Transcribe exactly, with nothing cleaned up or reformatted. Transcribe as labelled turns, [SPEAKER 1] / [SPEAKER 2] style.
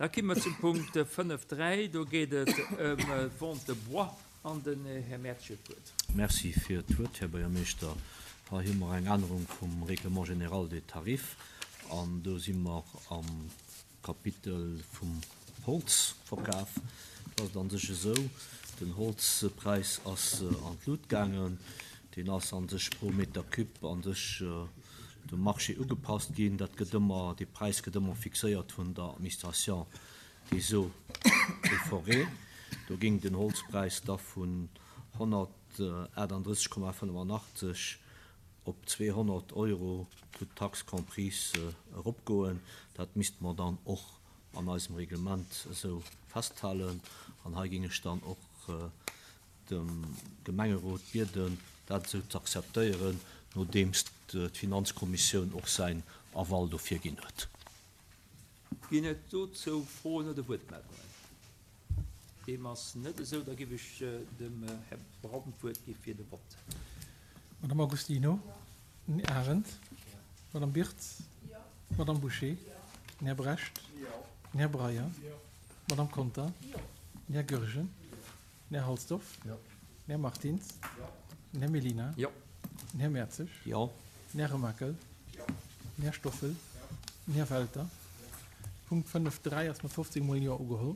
[SPEAKER 1] Da komme mer zum Punkt fënnef dräi. Do geet et ëm d'Vente de bois an den Här Mertsch huet d'Wuert.
[SPEAKER 2] Merci fir d'Wuert, Här Buergermeeschter. Hei hu mer eng Ännerung vum Règlement général des tarifs an do si mer am Kapitel vum Holzverkaf. Do ass et a sech esou, den Holzpräis ass an d'Lut gaangen. Deen ass a sech pro Meter cube a sech dem Marché ugepasst ginn. Dat gëtt ëmmer, dee Präis gëtt ëmmer fixéiert vun der Administration des eaux et forêts. Do géing den Holzpräis da vun honnertachtandrësseg Komma fënnefenachtzeg op zweehonnert Euro toutes taxes comprises eropgoen. Dat misste mer dann och an eisem Reglement esou festhalen. An hei géing ech dann och dem Gemengerot bieden, dat esou ze akzeptéieren, nodeems d'Finanzkommissioun och säin Aval dofir ginn huet.
[SPEAKER 1] Ginn et dozou Froen oder Wuertmeldungen? Deem ass net esou. Da géif ech dem Här Braun d'Wuert gi fir de Vott.
[SPEAKER 3] Madame Agostino, den Här Arendt, Madame Birtz, Madame Bouché, den Här Brecht, den Här Breyer, Madame Conter, den Här Goergen, den Här Halsdorf, den Här Martins, den Här Mellina, den Här Mertzig, den Här Remakel, den Här Stoffel, den Här Welter. Punkt fënnef dräi ass mat fofzéng mol Jo ugeholl.